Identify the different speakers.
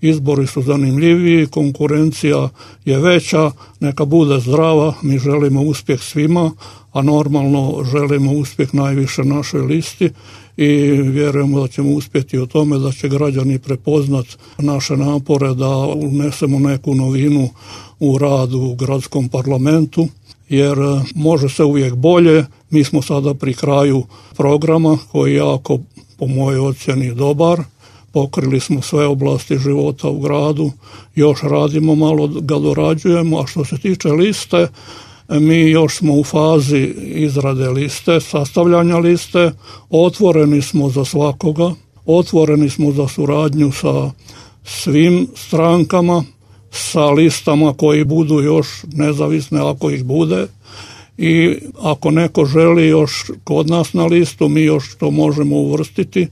Speaker 1: izbori su zanimljiviji, konkurencija je veća, neka bude zdrava, mi želimo uspjeh svima, a normalno želimo uspjeh najviše našoj listi i vjerujemo da ćemo uspjeti u tome, da će građani prepoznat naše napore da unesemo neku novinu u radu u gradskom parlamentu, jer može se uvijek bolje. Mi smo sada pri kraju programa koji je jako, po mojoj ocjeni, dobar. Pokrili smo sve oblasti života u gradu, još radimo, malo ga dorađujemo, a što se tiče liste, mi još smo u fazi izrade liste, sastavljanja liste, otvoreni smo za svakoga, otvoreni smo za suradnju sa svim strankama, sa listama koji budu još nezavisne ako ih bude, i ako neko želi još kod nas na listu, mi još to možemo uvrstiti.